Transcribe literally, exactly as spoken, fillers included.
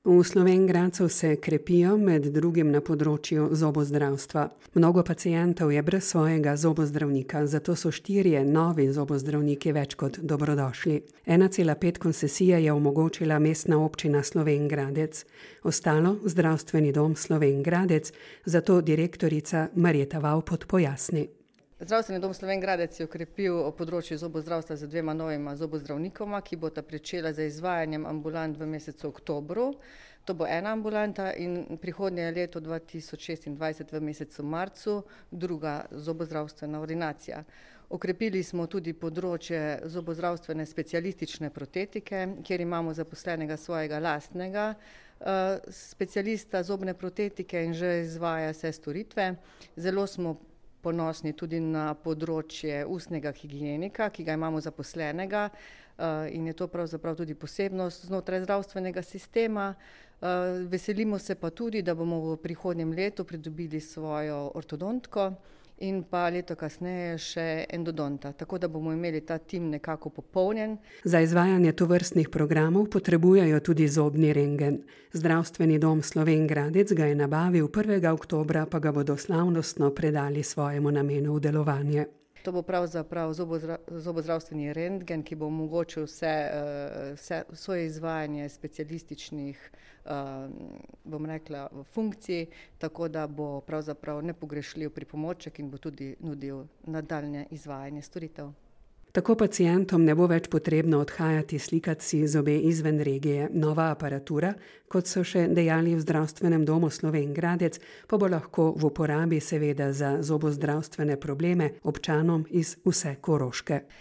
V Slovenj Gradcu se krepijo med drugim na področju zobozdravstva. Mnogo pacientov je brez svojega zobozdravnika, zato so štirje novi zobozdravniki več kot dobrodošli. ena cela pet koncesije je omogočila Mestna občina Slovenj Gradec. Ostalo zdravstveni dom Slovenj Gradec, zato direktorica Marjeta Vavpot pojasni. Zdravstveni dom Slovenj Gradec je okrepil področje zobozdravstva z dvema novima zobozdravnikoma, ki bosta pričela z izvajanjem ambulant v mesecu oktobru. To bo ena ambulanta in prihodnje leto dva tisoč šestindvajset v mesecu marcu druga zobozdravstvena ordinacija. Okrepili smo tudi področje zobozdravstvene specialistične protetike, kjer imamo zaposlenega svojega lastnega specialista zobne protetike in že izvaja vse storitve. Zelo smo ponosni tudi na področje ustnega higienika, ki ga imamo zaposlenega in je to pravzaprav tudi posebnost znotraj zdravstvenega sistema. Veselimo se pa tudi, da bomo v prihodnjem letu pridobili svojo ortodontko in pa leto kasneje še endodonta, tako da bomo imeli ta tim nekako popolnjen. Za izvajanje tovrstnih programov potrebujejo tudi zobni rentgen. Zdravstveni dom Slovenj Gradec ga je nabavil prvega oktobra, pa ga bodo slavnostno predali svojemu namenu v delovanje. To bo pravzaprav zobozdravstveni rentgen, ki bo omogočil vse, vse, vse izvajanje specialističnih bom rekla, funkcij, tako da bo pravzaprav nepogrešljiv pripomoček in bo tudi nudil nadaljnje izvajanje storitev. Tako pacientom ne bo več potrebno odhajati slikat si zobe izven regije. Nova aparatura, kot so še dejali v zdravstvenem domu Slovenj Gradec, pa bo lahko v uporabi seveda za zobozdravstvene probleme občanom iz vse Koroške.